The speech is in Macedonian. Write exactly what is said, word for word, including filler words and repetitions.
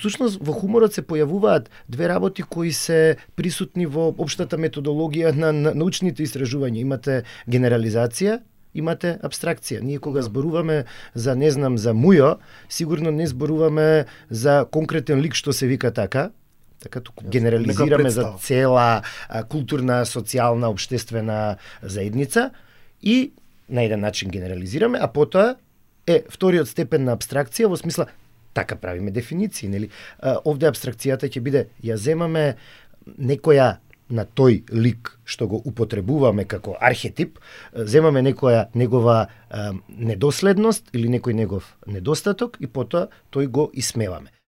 Всушност во хуморот се појавуваат две работи кои се присутни во општата методологија на, на научните истражувања. Имате генерализација, имате абстракција. Ние кога зборуваме за, не знам, за Мујо, сигурно не зборуваме за конкретен лик што се вика така, така туку генерализираме за цела а, културна, социјална, општествена заедница и на еден начин генерализираме, а потоа е вториот степен на абстракција во смисла така правиме дефиниции, нели? А, овде абстракцијата ќе биде ја земаме некоја на тој лик што го употребуваме како архетип, земаме некоја негова а, недоследност или некој негов недостаток и потоа тој го исмеваме.